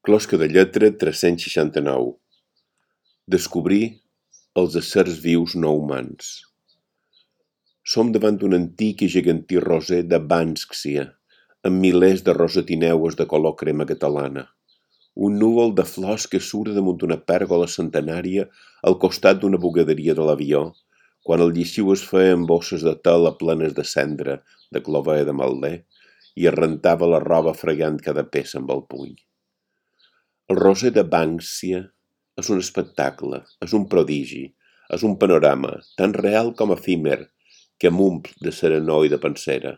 Closca de lletra 369. Descobrir els éssers vius no humans. Som davant un antic i gegantí roser de Banksia, amb milers de rosatineues de color crema catalana. Un núvol de flors que surt damunt una pèrgola centenària al costat d'una bugaderia de l'avió, quan el lleixiu es feia amb bosses de tela plenes de cendra, de clovella de malder, i es rentava la roba fregant cada peça amb el puny. El roser de Banksia és un espectacle, és un prodigi, és un panorama tan real com efímer que m'omple de serenor i de pensera.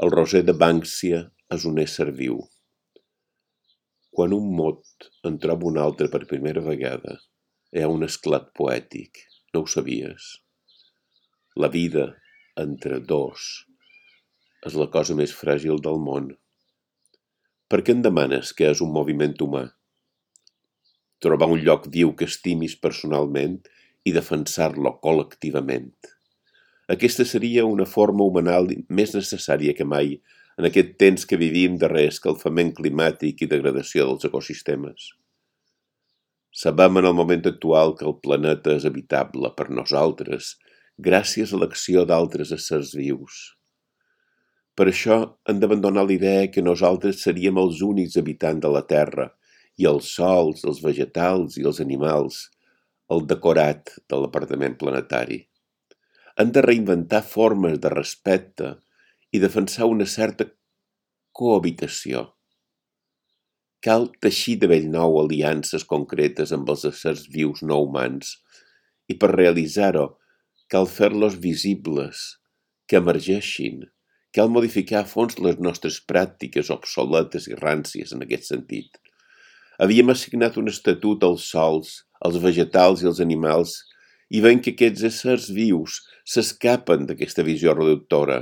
El roser de Banksia és un ésser viu. Quan un mot en troba un altre per primera vegada, hi ha un esclat poètic, no ho sabies? La vida entre dos és la cosa més fràgil del món. Per què em demanes què és un moviment humà? Trobar un lloc viu que estimis personalment i defensar-lo col·lectivament. Aquesta seria una forma humanal més necessària que mai en aquest temps que vivim de reescalfament climàtic i degradació dels ecosistemes. Sabem en el moment actual que el planeta és habitable per nosaltres gràcies a l'acció d'altres éssers vius. Per això hem d'abandonar la idea que nosaltres seríem els únics habitants de la Terra i els sols, els vegetals i els animals, el decorat de l'apartament planetari. Hem de reinventar formes de respecte i defensar una certa cohabitació. Cal teixir de bell nou aliances concretes amb els éssers vius no humans i per realitzar-ho cal fer-los visibles, que emergeixin. Cal modificar a fons les nostres pràctiques obsoletes i ràncies en aquest sentit. Havíem assignat un estatut als sols, als vegetals i als animals i veiem que aquests éssers vius s'escapen d'aquesta visió reductora.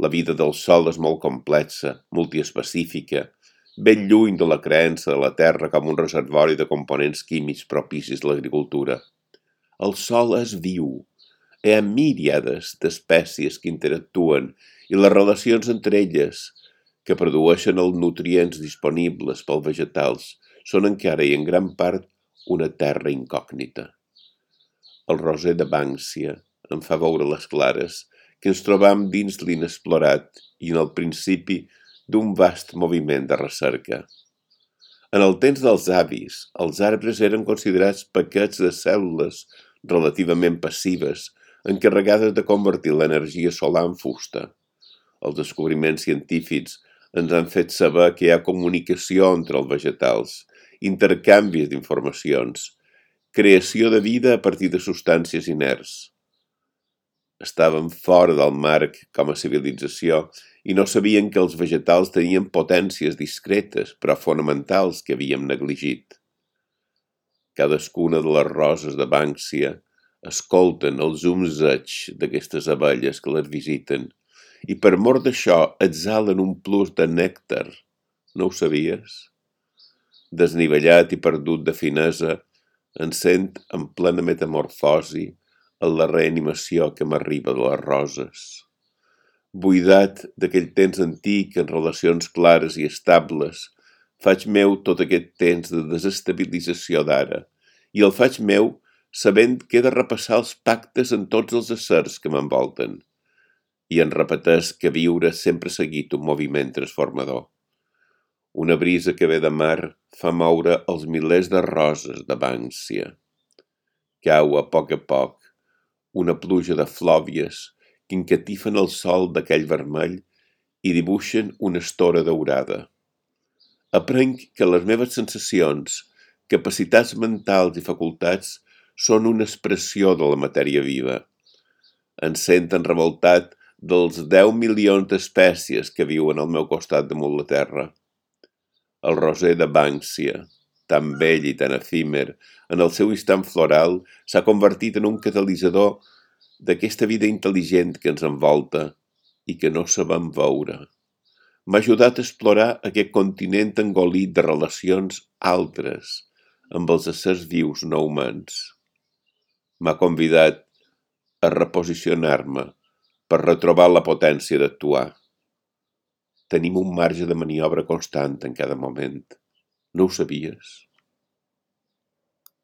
La vida del sol és molt complexa, multiespecífica, ben lluny de la creença de la Terra com un reservori de components químics propicis a l'agricultura. El sol és viu. Hi ha míriades d'espècies que interactuen i les relacions entre elles, que produeixen els nutrients disponibles pels vegetals, són encara i en gran part una terra incògnita. El roser de Banksia em fa veure les clares que ens trobam dins l'inexplorat i en el principi d'un vast moviment de recerca. En el temps dels avis, els arbres eren considerats paquets de cèl·lules relativament passives encarregades de convertir l'energia solar en fusta. Els descobriments científics ens han fet saber que hi ha comunicació entre els vegetals, intercanvis d'informacions, creació de vida a partir de substàncies inerts. Estàvem fora del marc com a civilització i no sabien que els vegetals tenien potències discretes però fonamentals que havíem negligit. Cadascuna de les roses de Banksia escolten els zumzeig d'aquestes abelles que les visiten i per mor d'això exhalen un plus de nèctar. No ho sabies? Desnivellat i perdut de finesa, em sent en plena metamorfosi en la reanimació que m'arriba de les roses. Buidat d'aquell temps antic en relacions clares i estables, faig meu tot aquest temps de desestabilització d'ara i el faig meu sabent que he de repassar els pactes en tots els éssers que m'envolten. I en repeteix que viure sempre ha seguit un moviment transformador. Una brisa que ve de mar fa moure els milers de roses de Banksia. Cau a poc una pluja de flòvies que encatifen el sol d'aquell vermell i dibuixen una estora daurada. Aprenc que les meves sensacions, capacitats mentals i facultats són una expressió de la matèria viva. Em senten revoltat dels 10 milions d'espècies que viuen al meu costat damunt la terra. El roser de Banksia, tan bell i tan efímer, en el seu instant floral, s'ha convertit en un catalitzador d'aquesta vida intel·ligent que ens envolta i que no sabem veure. M'ha ajudat a explorar aquest continent engolit de relacions altres amb els éssers vius no humans. M'ha convidat a reposicionar-me per retrobar la potència d'actuar. Tenim un marge de maniobra constant en cada moment. No ho sabies?